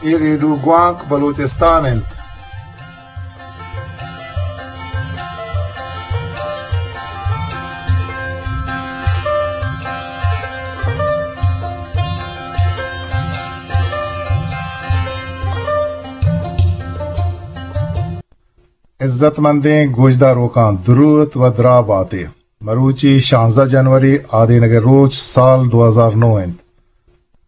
اے ریڈیو گوانک بلوچستان انت۔ عزت مندیں گوشداروکاں دروت و دراہ باتے۔ مروچی شانزدہ جنوری آدینگ ء روچ سال دو ہزار نو انت۔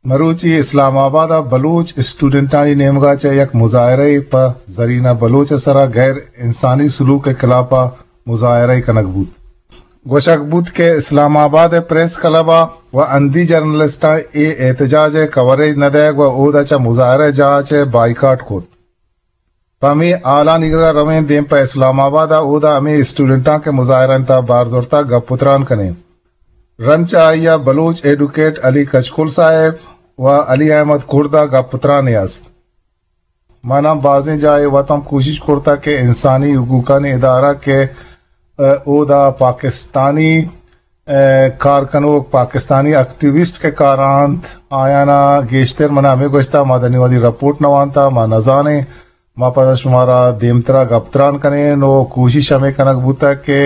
مروچی اسلام آباد ء بلوچ اسٹوڈنٹانی نیمگ ء چہ یک مظاہرہ ء پہ زرینہ بلوچ ء سرا غیر انسانی سلوک ء خلاف ء مظاہرہ ء کنگ بوت۔ گوشگ بوت کہ اسلام آباد ء پریس کلب ء و ہندی جرنلسٹاں اے احتجاج ء کوریج نہ دئیگ و اودا چہ مظاہرہ جاہ ء چہ بائیکاٹ کت۔ پہ ہمے حالانی کرا رویں دیم پہ اسلام آباد ء، اودا ہمے اسٹوڈنٹاں کہ مظاہرہ انت ء بار زرتا گپ و تران کنیں۔ رند چہ آئی ء بلوچ ایڈوکیٹ علی کچکول صاحب و علی احمد کرد ء گپ و ترانے است۔ من ہم بازیں جاہے وت ہم کوشش کرتگ کہ انسانی حقوقانی ادارہ کہ، ء، اودا پاکستانی، ء، کار کنوک، پاکستانی ایکٹیوسٹ کہ کار انت، آیانا گیشتر من ہمے گوشتا، ما دنی وہدی رپورٹ نہ وانتا، ما نزانیں، ما پدا شمارا دیمترا گپ تران کنیں، نو کوشش ہمے کنگ بوتگ کہ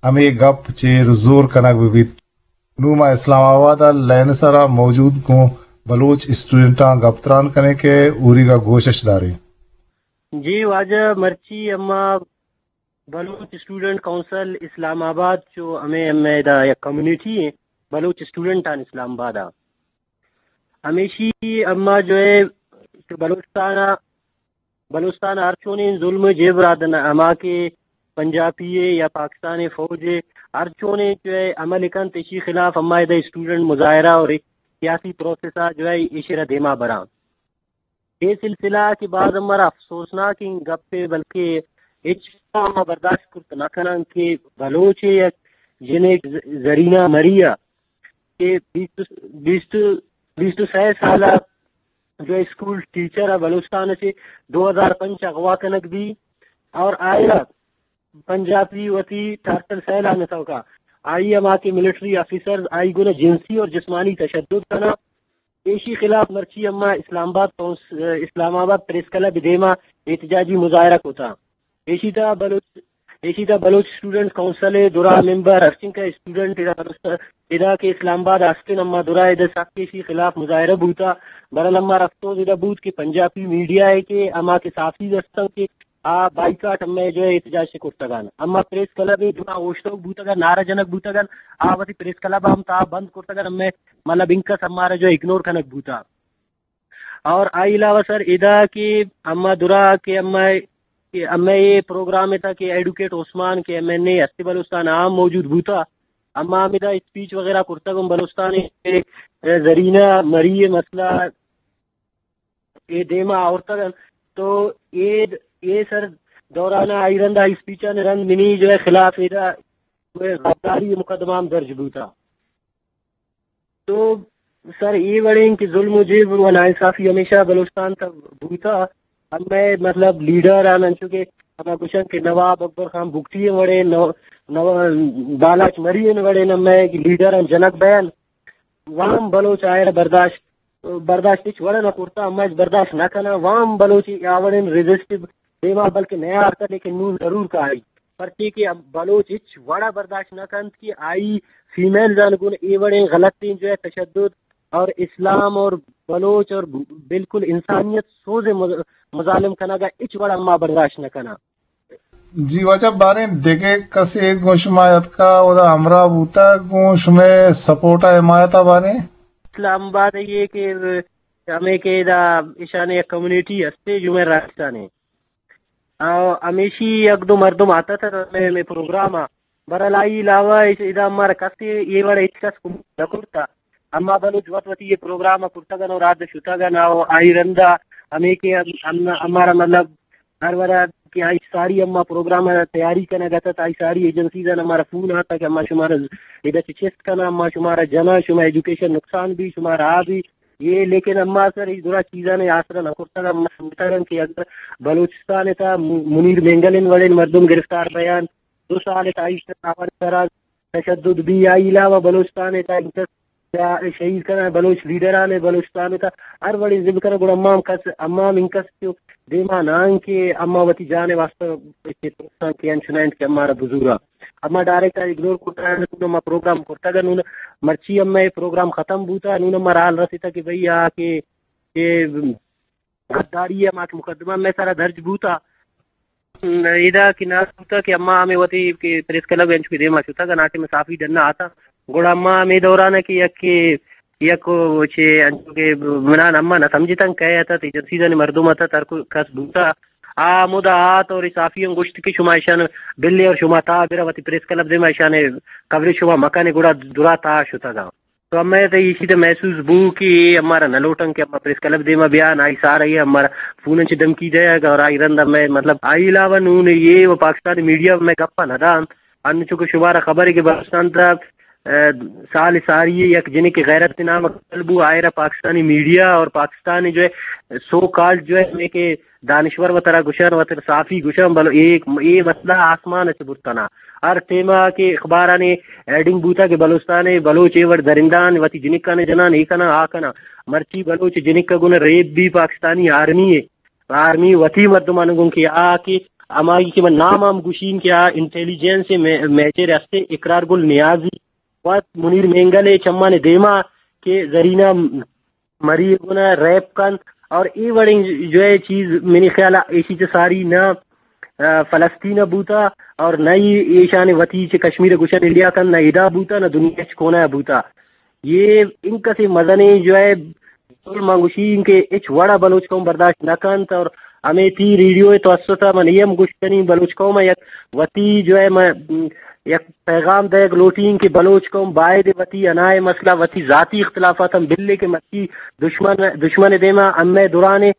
ہمے گپ چیر زور کنگ بہ بیت۔ نوں ما اسلام آباد ء لین سرا موجود گوں بلوچ اسٹوڈنٹاں گپ تران کنیں کہ اوریگا گوشش داریں۔ جی واجہ، مرچی اما بلوچ اسٹوڈنٹ کونسل اسلام آباد چو ہمیں، ہمیں ادا یک کمیونٹی ہیں بلوچ اسٹوڈنٹان اسلام آباد آ۔ ہمیشی اما جو ہے کہ بلوچستان آ بلوچستان ء ہر چونیں ظلم ء جبر ء دن ہما کہ پنجابی ء یا پاکستان ء فوج ء ہر چونیں جو ہے عمل کنت، ایشی خلاف ہما ادا اسٹوڈنٹ مظاہرہ اور سیاسی پروسیس ء جو ہے ایشی را دیما براں۔ اے سلسلہ کہ باز ہمارا افسوسناکیں گپے، بلکہ ہچ ہما برداشت کرت نہ کناں کہ بلوچ ء یک جنک ز-، زرینہ مری ء کہ بیست، بیست، بیست و سئے سال ء جو اسکول ٹیچر ء بلوچستان ء چہ دو ہزار پنچ اغوا کنگ بی اور آئی ء پنجابی وتی ٹارچر سیل ء نتوکا آئی ء ہما کہ ملٹری آفیسرز آئی گنا جنسی اور جسمانی تشدد کنا۔ ایشی خلاف مرچی اما اسلام آباد کونس-، اسلام آباد پریس کلب دیما احتجاجی مظاہرہ کتا۔ ایشی تا بلوچ، ایشی تا بلوچ اسٹوڈنٹ کونسل ء درا ممبر ہرچنکہ اسٹوڈنٹ ادا بلوچ-، ادا کہ اسلام آباد ہستن اما درا ادا سک ایشی خلاف مظاہرہ بوتا۔ برحال اما رفتوز ادا بوت کہ پنجابی میڈیا ہے کہ اما کہ صحافی ہستن کہ آ بائیکاٹ ہمے جو ہے احتجاج سے کرتگان۔ اما پریس کلب ء درا اوشتوک بوتگان، نعرہ جنگ بوتگان، آ وتی پریس کلب ہم تا بند کرتگان، ہمے مطلب انکس ہمارا جو ہے اگنور کنگ بوتا۔ اور آئی علاوہ سر ادا کہ اما درا کہ اما، کہ اما یہ پروگرام تھا کہ ایڈوکیٹ عثمان کہ ایم این اے ہستی بلوچستان عام موجود بوتا، اما ہم ادا اسپیچ وغیرہ کرتگ ہم بلوچستان زرینہ مری مسئلہ اے دیما آورتگ انت۔ تو اے، اے سر دوران آئی رند آئی اسپیچان رند منی جو ہے خلاف ادا غداری مقدمہ ہم درج بوتا۔ تو سر اے وڑیں کہ ظلم و جبر و ناانصافی ہمیشہ بلوچستان تا بوتا۔ ہمے مطلب لیڈر آن انچو کہ ہما گوشن کہ نواب اکبر خان بگٹی وڑے نو-، نو-، بالاچ مری وڑے نمے لیڈر آن جنک بیان وام بلوچ آئرا برداشت، برداشت ہچ وڑ نہ کرتا، ہما ہچ برداشت نہ کنا۔ وام بلوچ آ وڑیں ریزسٹ دیما بلکہ نیا آرتا، لیکن نون ضرور کاری۔ پرچے کہ بلوچ ہچ وڑا برداشت نہ کنت کہ آئی فیمیل زان گون اے وڑیں غلطیں جو ہے تشدد اور اسلام اور بلوچ اور بالکل انسانیت سوز مز-، مظالم کنگا ہچ وڑا ما برداشت نہ کنا۔ جی واجہ، باریں دگہ کسے گوں شما اتکا، اودا ہمراہ بوتا، گوں شمے سپورٹ ء حمایت ء باریں؟ اسلام آباد ء یہ کہ ہمیں کہ ادا ایشان یک کمیونٹی ہستے جمعہ راستان ء۔ آ، ہمیشی یک دو مردم آتا تھا ہمیں، ہمیں پروگرام ء۔ برحال آئی علاوہ اس ادا ہمارا کس یہ وڑ ہچ کس کمک نہ کرتا۔ اما بلوچ وت وتی یہ پروگرام ء کرتگن اور آد شتگن اور آئی رندا ہمیں کہ ہم، ہم، ہمارا مطلب ہر وڑا کہ آئی ساری اما پروگرام ء تیاری کنگ اتت، آئی ساری ایجنسیز آن ہمارا فون آتا کہ اما شمارا ادا چہ چست کنا، اما شمارا جنا، شما ایجوکیشن نقصان بی، شمارا آ بی، یہ لیکن اما سر ای درا چیزانے آسرا نہ کرتگ، اما سمجھتگن کہ اگر بلوچستان تا م-، منیر مینگل ان وڑین مردم گرفتار بیان، دو سال تا ایش آوان سرا تشدد بی، آئی علاوہ بلوچستان تا انکس یا شہید کناں بلوچ لیڈران ء بلوچستان ء تا ہر وڑیں ضد کناں، گڑا اما ہم کس، اما ہم انکس کہ دیما نہ انت کہ اما وتی جان ء واسطہ کہ ترساں کہ انچو نہ انت کہ اما را بزوراں۔ اما ڈائریکٹ اگنور کرتا، نون اما پروگرام کرتگ، نون مرچی اما اے پروگرام ختم بوتا، نون اما را حال رسیتا کہ بھئی آ کہ، کہ غداری ء ہما کہ مقدمہ مئے سرا درج بوتا، ادا کہ نہ بوتا کہ اما ہمے وتی کہ پریس کلب انچو کہ دیما شتگ، ناکہ مئے صحافی ڈنا آتا، گڑا اما ہمے دوران ء کہ یک، یک چے انچو کہ منان اما نہ سمجھتن کئے اتت، ایجنسیزانی مردم اتت، ہر کو-، کس بوتا، آ ہمودا آت اور صحافی ہم گوشت کہ شما ایشان بلے اور شما تا برا وتی پریس کلب دیما ایشان کوریج شما مکنے، گڑا درا تا شتگا۔ تو ہمے تہ ایشی تہ محسوس بو کہ اے ہمارا نہ لوٹن کہ ہما پریس کلب دیما بیان، آئی سارا اے ہمارا فون چہ دھمکی دئیگ اور آئی رند ہمے مطلب آئی علاوہ نون اے و پاکستانی میڈیا ہمے گپا نہ دانت۔ انچو کہ شمارا خبر ہے کہ بلوچستان تہ، اه، سال ساری یک جنک غیرت نام قتل بو، آئرا پاکستانی میڈیا اور پاکستانی جو ہے سو کالڈ جو ہے ہمے کہ دانشور وترا گشن، وتر صحافی گشن، بلو اے، اے مسئلہ آسمان چہ برتنا۔ ہر ٹیما کہ اخبارانی ہیڈنگ بوتا کہ بلوچستان ء بلوچ اے وڑ درندان وتی جنکان جنان اے کناں آ کناں۔ مرچی بلوچ جنک ء گون ریپ بی پاکستانی آرمی ء، آرمی وتی مردمان گون کہ آ کہ ہمائی کہ من نام ہم گوشین کہ آ انٹیلیجنس ء مے-، میجر ہستے اقرار گل نیازی وت منیر مینگل ء چمان دیما کہ زرینہ مری گنا ریپ کنت اور اے وڑیں جو ہے چیز منی خیال ء ایشی چہ ساری نہ، آ، فلسطین ء بوتا اور نہ ہی ایشان وتی چہ کشمیر ء گوشن انڈیا کنت، نہ ادا بوتا، نہ دنیا چہ کونا ء بوتا۔ یہ انکسے مزنیں جو ہے ظلم انگوشی کہ ہچ وڑا بلوچ قوم برداشت نہ کنت اور ہمے تی ریڈیو ء توسط ء من اے ہم گوشت کنیں بلوچ قوم ء یک وتی جو ہے من یک پیغام دئیگ لوٹیں کہ بلوچ قوم باید وتی انائے مسئلہ، وتی ذاتی اختلافات ہم بلے کہ مرچی دشمن، دشمن دیما ہمے درانے،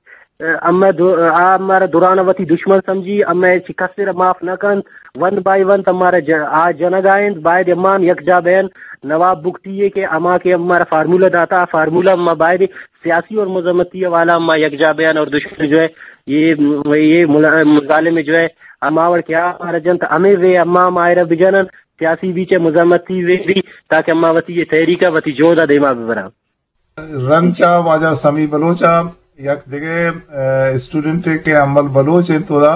ہمے دو-، آ ہمارا درانا وتی دشمن سمجھی، ہمے چہ کسے را معاف نہ کنت، ون بائی ون ہمارا ج-، آ جنگا انت، باید امان یک جا بین۔ نواب بگٹی ہے کہ ہما کہ ہمارا فارمولا داتا، آ فارمولا ہم باید سیاسی اور مذمتی حوالہ ہم یک جا بین اور دشمن جو ہے یہ، یہ ملا-، ظالم جو ہے ہما وڑ کہ آ مارا جنت ہمے وے اما ہم آئرا بجنن، سیاسی بیچ ء مزاحمتی وے بی تاکہ اما وتی یہ تحریک ء وتی جہد ء دیما ببراں۔ رند چہ واجہ سمی بلوچ ء یک دگہ، ء، اسٹوڈنٹے کہ امل بلوچ انت، اودا،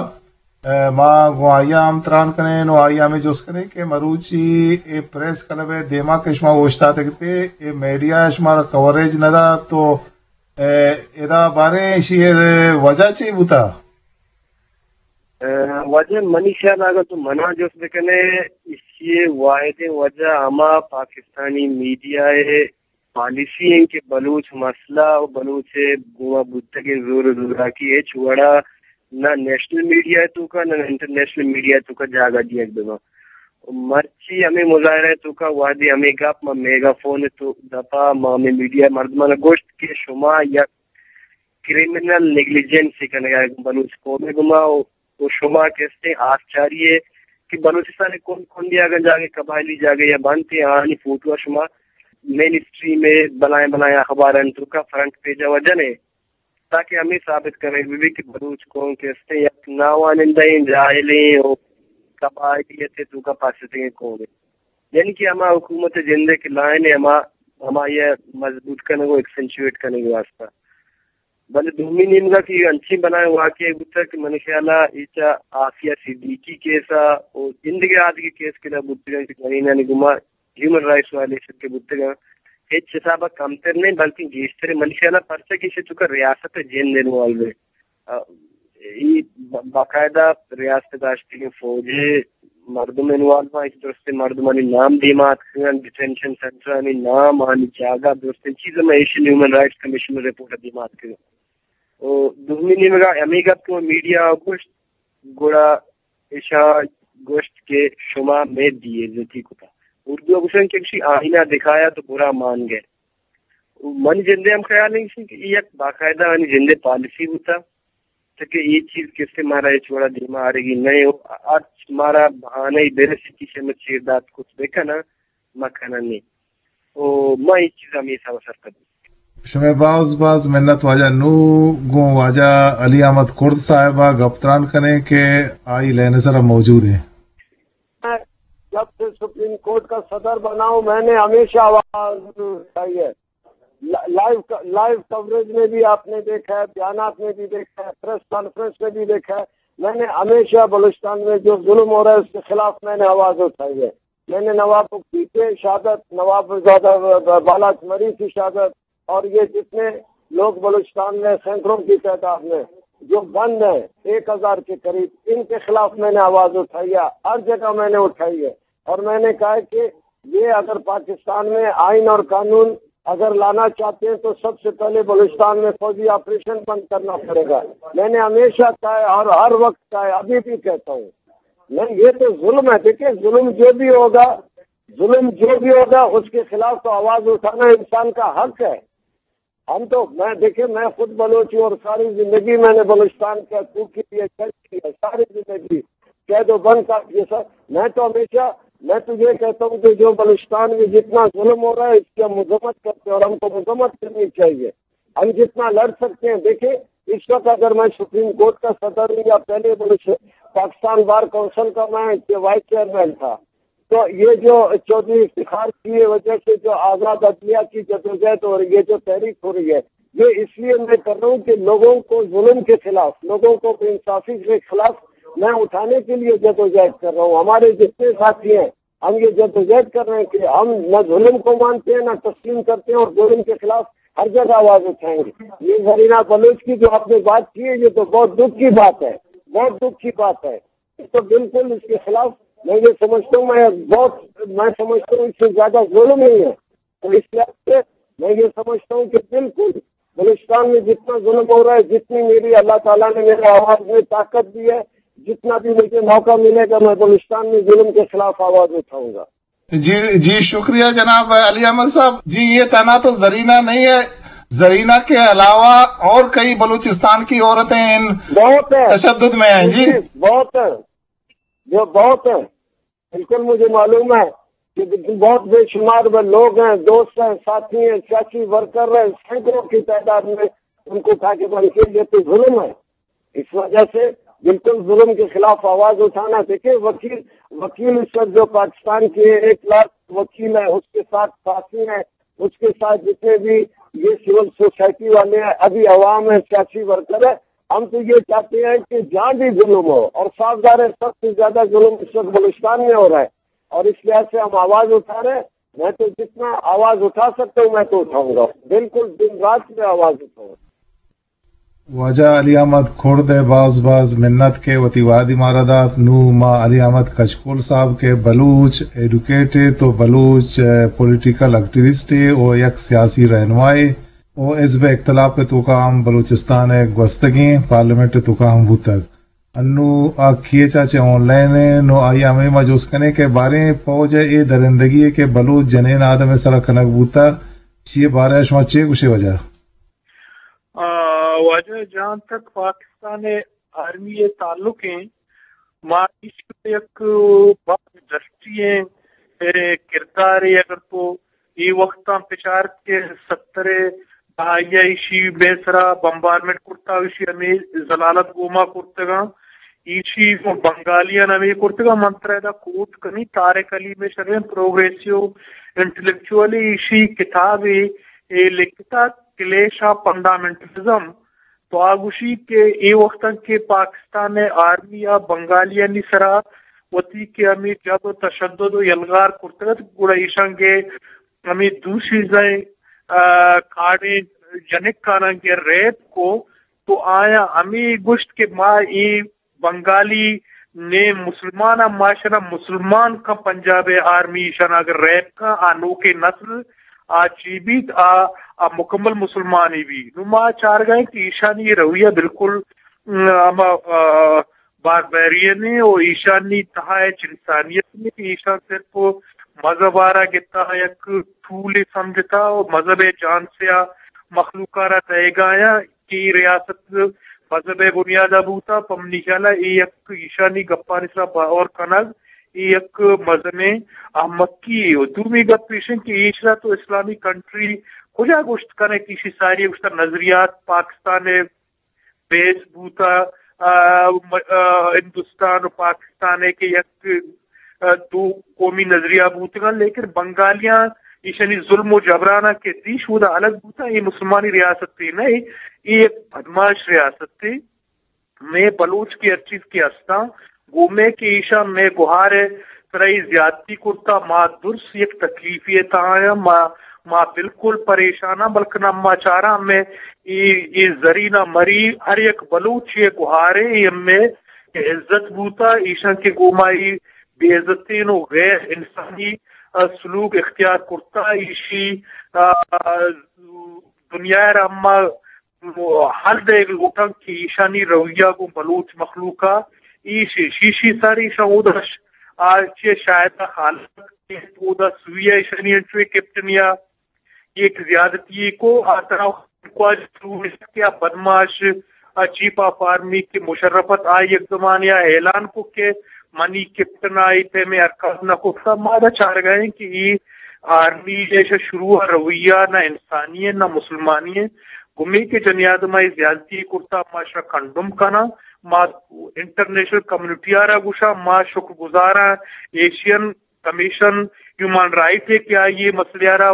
ء، ما گوں آئی ء ہم تران کنیں و آئی ء ہمے جست کنیں کہ مروچی اے پریس کلب ء دیما کہ شما اوشتاتگ تے، اے میڈیا ء شمارا کوریج نہ دات تو، ء، ادا باریں ایشی ء وجہ چے بوتا؟ ء، وجہ منی خیال ء اگاں تو منا جست بکنے، ایشی ء واحدیں وجہ ہما پاکستانی میڈیا ء پالیسی انت کہ بلوچ مسئلہ و بلوچ ء گوما بوتگیں زور و زوراکی ہچ وڑا نہ نیشنل میڈیا ء توکا نہ انٹرنیشنل میڈیا ء توکا جاگہ دیگ بہ بنت۔ مرچی ہمے مظاہرہ ء توکا وہدے ہمے گپ ما میگا فون ء تو دپا ما ہمے میڈیا مردمان ء گوشت کہ شما یک کریمنل نیگلیجنس ء کنگ ء بلوچ قوم ء گما و، و شما کستیں آسچاری ء کہ بلوچستان ء کنڈ کنڈے اگاں جاگہ قبائلی جاگہ یا بنت ء آہانی فوٹو ء شما مین اسٹریم ء بلائیں بلائیں اخبارانی توکا فرنٹ پیج ء وجہ نے تاکہ ہمے ثابت کنگ بہ بیت کہ بلوچ قوم کستیں یک ناوانندہیں جاہلیں و قبائلیت ء توکا پاستگیں قومے۔ یعنی کہ ہما حکومت ء جند ء کہ لائن ء ہما، ہمائی ء مضبوط کنگ و ایکسنچویٹ کنگ ء واسطہ۔ بلے دومی نیمگا کہ انچیں بلائیں واقعہ بوتگ کہ منی خیال ء ایچا آفیہ صدیقی کیس ء و زندگی آدگہ کیس کہ بوتگاں کہ جنینانی گما ہیومن رائٹس وائلیشن کہ بوتگاں، ہچ حساب ء کمتر نہ انت، بلکیں گیشتر انت۔ منی خیال ء پرچا کہ ایشی توکا ریاست ء جند انوالو انت۔ ء، ای با-، باقاعدہ ریاست ء داشتگیں فوج ء مردم انوالو انت، درستیں مردمانی نام دیما اتکگ انت، ڈیٹینشن سینٹرانی نام، آنی جاگہ، درستیں چیز ہم ایشن ہیومن رائٹس کمیشن ء رپورٹ ء دیما اتکگ انت۔ و دومی نیمگا ہمے گپ کہ میڈیا ء گوشت، گڑا ایشاں گوشت کہ شما مئے بے عزتی کتا۔ اردو ء گوشن کہ گوشی آئینہ دکھایا تو برا مان گئے۔ منی جندے ہم خیال انت کہ اے یک باقاعدہ آنی جندے پالیسی بوتا، تاکہ اے چیز کسے مارا ہچ وڑا دیما آرگی نہ انت۔ ہرچ مارا بہانہ ای برسی کہ شما چیر دات کت بکنن، ما کنن نی۔ و ما اے چیز ہمے حساب سرپد۔ شمئے باز باز منت واجہ۔ نوں گوں واجہ علی احمد کرد صاحب ء گپ تران کنیں کہ آئی لین ء سرا موجود انت۔ جب سے سپریم کورٹ کا صدر بنا ہوں، میں نے ہمیشہ آواز اٹھائی ہے۔ لا-، لائیو ک-، لائیو کوریج میں بھی آپ نے دیکھا ہے، بیانات میں بھی دیکھا ہے، پریس کانفرنس میں بھی دیکھا ہے۔ میں نے ہمیشہ بلوچستان میں جو ظلم ہو رہا ہے، اس کے خلاف میں نے آواز اٹھائی ہے۔ میں نے نواب بگٹی کی شہادت، نواب زادہ ب-، ب-، بالاچ مری کی شہادت، اور یہ جتنے لوگ بلوچستان میں سینکڑوں کی تعداد میں جو بند ہیں، ایک ہزار کے قریب، ان کے خلاف میں نے آواز اٹھائی ہے، ہر جگہ میں نے اٹھائی ہے۔ اور میں نے کہا ہے کہ یہ اگر پاکستان میں آئین اور قانون اگر لانا چاہتے ہیں تو سب سے پہلے بلوچستان میں فوجی آپریشن بند کرنا پڑے گا۔ میں نے ہمیشہ کہا ہے اور ہر وقت کہا ہے، ابھی بھی کہتا ہوں۔ نہیں، یہ تو ظلم ہے۔ دیکھیں، ظلم جو بھی ہوگا، ظلم جو بھی ہوگا، اس کے خلاف تو آواز اٹھانا انسان کا حق ہے۔ ہم تو، میں، دیکھیں، میں خود بلوچ ہوں اور ساری زندگی میں نے بلوچستان کے حقوق کے لیے جنگ کی ہے، ساری زندگی قید و بند کا یہ سب۔ میں تو ہمیشہ، میں تو یہ کہتا ہوں کہ جو بلوچستان میں جتنا ظلم ہو رہا ہے، اس کی ہم مذمت کرتے ہیں اور ہم کو مذمت کرنی چاہیے۔ ہم جتنا لڑ سکتے ہیں، دیکھیں، اس وقت اگر میں سپریم کورٹ کا صدر ہوں یا پہلے بلوچ-، پاکستان بار کونسل کا میں وائس چیئرمین تھا، تو یہ جو چودھری افتخار کی وجہ سے جو آزاد عدلیہ کی جدوجہد اور یہ جو تحریک ہو رہی ہے، یہ اس لیے میں کر رہا ہوں کہ لوگوں کو ظلم کے خلاف، لوگوں کو بے انصافی کے خلاف میں اٹھانے کے لیے جدوجہد کر رہا ہوں۔ ہمارے جتنے ساتھی ہیں، ہم یہ جدوجہد کر رہے ہیں کہ ہم نہ ظلم کو مانتے ہیں، نہ تسلیم کرتے ہیں، اور ظلم کے خلاف ہر جگہ آواز اٹھائیں گے۔ یہ زرینہ بلوچ کی جو آپ نے بات کی ہے، یہ تو بہت دکھ کی بات ہے، بہت دکھ کی بات ہے۔ تو بالکل اس کے خلاف میں یہ سمجھتا ہوں، میں بہت، میں سمجھتا ہوں اس سے زیادہ ظلم نہیں ہے۔ تو اس لحاظ سے میں یہ سمجھتا ہوں کہ بالکل بلوچستان میں جتنا ظلم ہو رہا ہے، جتنی میری اللہ تعالیٰ نے میرے آواز میں طاقت دی ہے، جتنا بھی مجھے موقع ملے گا، میں بلوچستان میں ظلم کے خلاف آواز اٹھاؤں گا۔ جی، جی، شکریہ جناب علی احمد صاحب۔ جی، یہ تنہا تو زرینہ نہیں ہے، زرینہ کے علاوہ اور کئی بلوچستان کی عورتیں ان بہت ہے۔ تشدد میں ہیں۔ جی، جی، بہت ہے، جو بہت ہے، بالکل مجھے معلوم ہے کہ بہت بے شمار وہ لوگ ہیں، دوست ہیں، ساتھی ہیں، سیاسی ورکر ہیں، سینکڑوں کی تعداد میں ان کو اٹھا کے بند کیا۔ یہ تو ظلم ہے۔ اس وجہ سے بالکل ظلم کے خلاف آواز اٹھانا۔ دیکھیں، وکیل، وکیل اس وقت جو پاکستان کے ایک لاکھ وکیل ہیں، اس کے ساتھ ساتھی ہیں، اس کے ساتھ جتنے بھی یہ سول سوسائٹی والے ہیں، ابھی عوام ہے، سیاسی ورکر ہے، ہم تو یہ چاہتے ہیں کہ جہاں بھی ظلم ہو، اور صاف ظاہر ہے سب سے زیادہ ظلم اس وقت بلوچستان میں ہو رہا ہے، اور اس لحاظ سے ہم آواز اٹھا رہے ہیں۔ میں تو جتنا آواز اٹھا سکتا ہوں، میں تو اٹھاؤں گا، بالکل دن رات میں آواز اٹھاؤں گا۔ واجہ علی احمد کرد ء باز باز منت کہ وتی وہدی مارا دات۔ نوں ما علی احمد کچکول صاحب کہ بلوچ ایڈوکیٹ ء تو بلوچ، ء، پولیٹیکل ایکٹیوسٹ ء و یک سیاسی رہنمائے و حزب اختلاف ء توکا ہم بلوچستان ء گوستگیں پارلیمنٹ ء توکا ہم بوتگ۔ انوں آ کیچ ء چہ آن لائن ء، نوں آئی ء ہمے ما جست کنیں کہ باریں فوج ء اے درندگی ء کہ بلوچ جنین آدم ء سرا کنگ بوتگ، چی ء بارہ ء شما چے گوشے واجہ؟ آ، واجہ، جہاں تک پاکستان ء آرمی ء تعلق ایں، ما ایشی ء یک باز ڈسٹی ایں، اے کردارے اگر تو اے وقتاں پچار کہ ستر ء دہائی ء ایشی مئے سرا بمبارمنٹ کرتا، ایشی ہمے ذلالت گوما کرتگاں، ایشی بنگالیاں ہمے کرتگاں۔ من ترا ادا کوٹ کنی، طارق علی مئے شریں پروگریسیو انٹلیکچوئلے، ایشی کتابے اے لکھتا کلیش آف فنڈامنٹلزم۔ تو آ گوشی کہ اے وقتاں کہ پاکستان ء آرمی ء بنگالیانی سرا وتی کہ ہمے جبر، تشدد و یلغار کرتگ ات، گڑا ایشاں کہ ہمے دو سیزدہ، آ، کاڑیں جنک آناں کہ ریپ کو، تو آیاں ہمے گوشت کہ ما اے بنگالی نیم مسلمان ء، ما اشانا مسلمان کن، پنجاب ء آرمی اشانا اگر ریپ کن، آ نوکیں نسل آ چی بیت؟ آ، آ مکمل مسلمانے بیت۔ نوں ما چارگا ایں کہ ایشانی اے رویہ بالکل، م، ہما، آ، باربیرین ایں و ایشانی تہا ہچ انسانیت نیست کہ ایشاں صرف مذہب آرا گتا یک ٹولے سمجھتا و مذہب ء جان سے آ مخلوق آرا دئیگا آیاں کہ اے ریاست مذہب ء بنیاد ء بوتا، پہ منی خیال ء اے یک ایشانی گپانی سرا باور کنگ، اے یک مزنیں احمقی یے۔ و دومی گپ ایش انت کہ ایشرا تو اسلامی کنٹری کجا گوشت کنے کہ ایشی ساری گوشتہ نظریات پاکستان ء بیس بوتا، آ، م-، آ، ہندوستان و پاکستان ء کہ یک آ، دو قومی نظریہ بوتگاں، لیکن بنگالیاں ایشانی ظلم و جبرانا کہ دیش اودا الگ بوتاں، اے مسلمانی ریاستے نہ، اے یک بدماش ریاستے۔ مئے بلوچ کہ ہر چیز کہ ہستاں، گوں مئے کہ ایشاں مئے گہار ءِ سرا اے زیادتی کرتا، ما درست یک تکلیفے ءِ تہا آں، ما، ما بالکل پریشان آں، بلکن ما چاراں مئے اے، اے زرینہ مری ہر یک بلوچے ءِ گہارے، اے مئے عزت بوتا، ایشاں کہ گوں ما اے بے عزتیں و غیر انسانی، آ، سلوک اختیار کرتا، ایشی، آ، دنیا ءَ را ما ہل دئیگ لوٹاں کہ ایشانی رویہ گوں بلوچ مخلوق ءَ ایش، ایشی سر ایشاں اودا ش-، آ چہ شاہد ءَ خالق اودا سوئی ءَ ایشانی انچو کیپٹن یا یک زیادتی کو آ ترا خواج کہ آ بدماش، آ چیف آف آرمی کہ مشرف ات، آ یک زمانے ءَ اعلان کو کہ منی کیپٹن آئی پہ میں حرکات نہ کرتا۔ ما دا چارگائیں کہ اے آرمی ایشا شروع ءَ رویہ نہ انسانی ہے، نہ مسلمانی ہے۔ گمی کہ جنی آدم آئی زیادتی کرتا، ما شا کنڈم کنا۔ ما انٹرنیشنل کمیونٹی آرا گوشا، ما شکر گزارا ایشین کمیشن ہیومن رائٹ ہے کہ آئی یہ مسئلہ آرا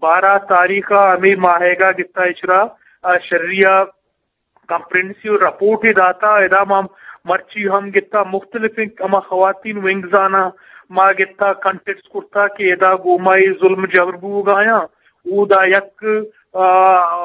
بارہ تاریخ ءَ ہمیں ماہیگا گتا اشرا، آ، شریعہ کمپریہنسیو رپورٹ ءَ داتا۔ ادا ما مرچی ہم گتا مختلف ہما خواتین ونگز آنا ما گتا کانٹیکٹ کرتا کہ ادا گوما اے ظلم جبر بوگایاں۔ اودا یک، آ،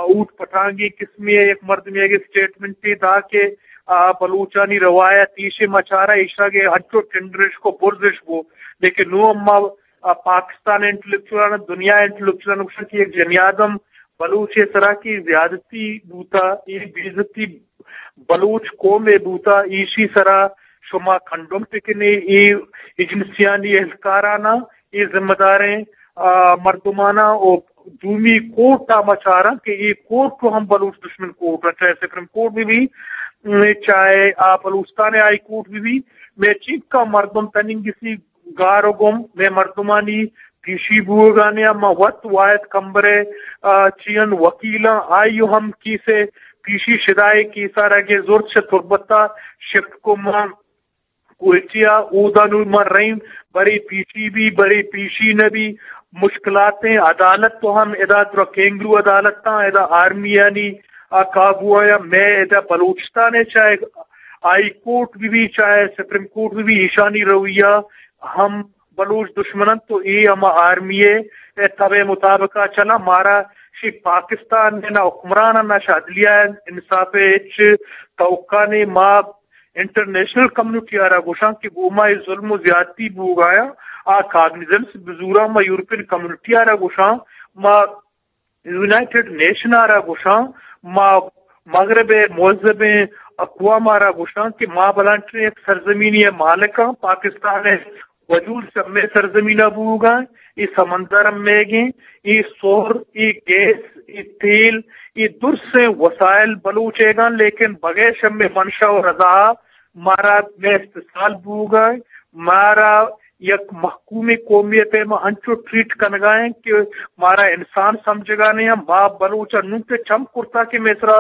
اوٹ پٹانگی قسمی یک مردمی اگے اسٹیٹمنٹ دا کہ، آ، بلوچانی روایت ایشے مچارا ایشا گے ہنچو ٹینڈرش کو برزش کو، لیکن نو اما آ، پاکستان انٹلیکچولاں، دنیا انٹلیکچولاں گوشاں کہ یک جنی آدم بلوچ ءِ سرا کہ زیادتی بوتا، اے بے عزتی بلوچ قوم ءِ بوتا، ایشی سرا شما کنڈم بکنے، اے ایجنسیانی اہلکاراناں، اے ذمہ داریں، آ، مردماناں او دومی کورٹ ءَ ما چاراں کہ اے کورٹ ہم بلوچ دشمن کورٹ ءَ، چاہے سپریم کورٹ بھی بھی، چاہے آ بلوچستان ہائی کورٹ بھی بھی، میں چنکا مردم تننگسی گار و گم مئے مردمانی پیشی بوگانے ءَ ما وت واحد کمبر ءِ، آ، چیئن وکیلاں آئی ہم کیس ءِ پیشی شدائے کیس ءَ را گے زرت چہ تربت ءَ شفٹ کو ما کوئٹہ ءَ اودا نوں ما رئیم برے پیشی بی برے پیشی نہ بی مشکلاتیں عدالت تو ہم ادا درا کینگرو عدالتاں ادا آرمیانی آ قابو آیا مئے ادا بلوچستان ءِ چاہے ہائی کورٹ بہ بی، چاہے سپریم کورٹ بہ بی، ایشانی رویہ ہم بلوچ دشمن انت تو اے ہما آرمی ءِ تب ءِ مطابق ءَ چلا۔ مارا شی پاکستان ءِ نہ حکمران ءَ نہ شی عدلیہ ءَ انصاف ءِ ہچ توقع نے۔ ما انٹرنیشنل کمیونٹی ءَ را گوشاں کہ گوما اے ظلم و زیادتی بوگایاں آ کاگنیزنس بزوراں۔ ما یورپین کمیونٹی ءَ را گوشاں، ما یونائیٹڈ نیشن ءَ را گوشاں، ما مغرب ءِ مہذبیں اقوام ءَ را گوشاں کہ ما بلانٹریں یک سرزمینی ءِ مالک آں، پاکستان ءِ وجود چہ مئے سرزمین ءَ بوگا، اے سمندر ہم مئیگیں، اے سہر، اے گیس، اے تیل، اے درسیں وسائل بلوچ ایگاں، لیکن بغیر شمے منشا و رضا مارا مئے استحصال بوگا، مارا یک محکومیں قومی ءِ پیما انچو ٹریٹ کنگا انت کہ مارا انسان سمجھگا نہیں۔ ما بلوچ ءَ نوں کہ چم کرتا کہ مئے سرا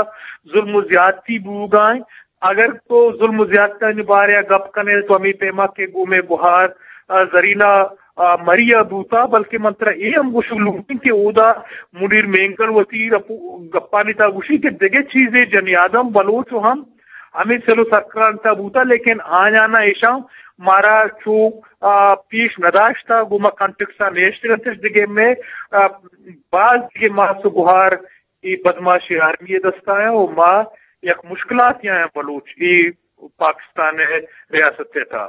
ظلم و زیادتی بوگا انت۔ اگر تو ظلم و زیادتیانی بارے ءَ گپ کنے تو ہمے پیما کہ گوں مئے گہار، آ، زرینہ، آ، مری ءَ بوتا، بلکہ من ترا اے ہم گوشگ لوٹیں کہ اودا منیر مینگل وتی رپو-، گپانی تہا گوشی کہ دگہ چیزے جنی آدم بلوچ و ہم ہمے سیل و سرکلان تہا بوتا، لیکن آیانا ایشاں مارا چو، آ، پیش نداشتا، گوں ما کانٹیکسا نیشتگ انتش دگہ مئے، آ، باز دگہ ماس و گہار اے بدماشی آرمی ءِ دستا آیاں و ما یک مشکلاتے آیاں بلوچ اے پاکستان ءِ ریاست ءِ تہا۔